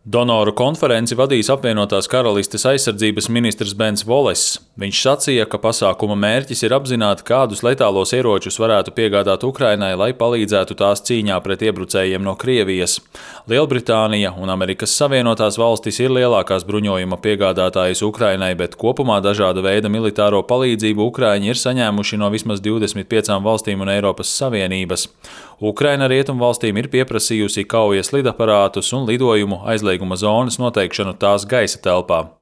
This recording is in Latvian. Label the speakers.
Speaker 1: Donoru konferenci vadīs apvienotās karalistes aizsardzības ministrs Bens Voless. Viņš sacīja, ka pasākuma mērķis ir apzināt, kādus letālos ieročus varētu piegādāt Ukrainai, lai palīdzētu tās cīņā pret iebrucējiem no Krievijas. Lielbritānija un Amerikas Savienotās valstis ir lielākās bruņojuma piegādātājas Ukrainai, bet kopumā dažāda veida militāro palīdzību Ukraiņi ir saņēmuši no vismaz 25 valstīm un Eiropas Savienības. Ukraina rietumvalstīm ir pieprasījusi kaujas lidaparātus un lidojumu aizlieguma zonas noteikšanu tās gaisa telpā.